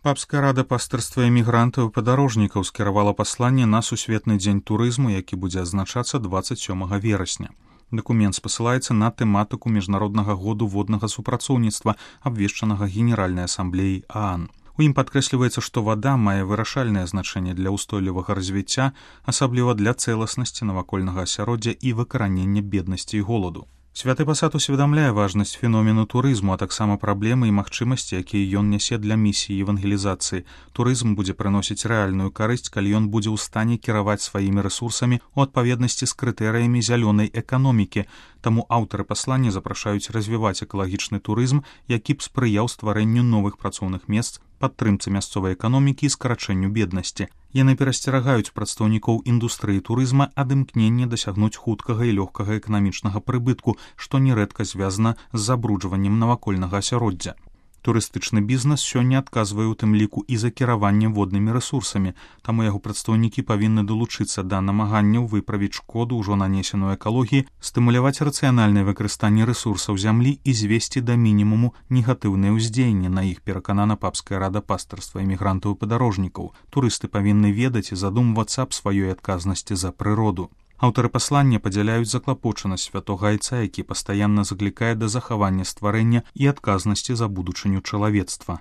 Папская рада пастырства эмігрантаў і падарожнікаў скіравала пасланне на сусветны дзень турызму, які будзе адзначацца 27 верасня. Дакумент спасылаецца на тэматыку міжнароднага году воднага супрацоўніцтва, абвешчанага Генеральнай асамблеяй ААН. У ім падкрэсліваецца, што вада мае вырашальнае значэнне для ўстойлівага развіцця, асабліва для цэласнасці навакольнага асяроддзя і выкаранення беднасці і голаду. Святы пасад усведамляе важнасць феномену турызму, а таксама праблемы і магчымасці, якія ён нясе для місіі евангелізацыі. Турызм будзе прыносіць рэальную карысць, калі ён будзе ў стане кіраваць сваімі рэсурсамі ў адпаведнасці з крытэрыямі зялёнай эканомікі. Таму аўтары паслання запрашаюць развіваць экалагічны турызм, які б спрыяў стварэнню новых працоўных месц, падтрымцы мясцовай эканомікі і скарачэнню беднасці. Яны перасцерагаюць прадстаўнікоў індустрыі турызма ад імкнення дасягнуць хуткага і лёгкага эканамічнага прыбытку, што нерэдка звязана з забруджваннем навакольнага асяроддзя. Турыстычны бізнес сёння адказвае ў тым ліку і за кіраванне воднымі рэсурсамі, таму яго прадстаўнікі павінны далучыцца да намаганняў выправіць шкоду ўжо нанесеную экалогіі, стымуляваць рацыянальнае выкарыстанне рэсурсаў зямлі і звесці да мінімуму негатыўнае ўздзеянне на іх, пераканана Папская рада пастырства эмігрантаў і падарожнікаў. Турысты павінны ведаць і задумвацца аб сваёй адказнасці за прыроду. Аўтары паслання падзяляюць заклапочанасць святога айца, які пастаянна заклікае да захавання стварэння і адказнасці за будучыню чалавецтва.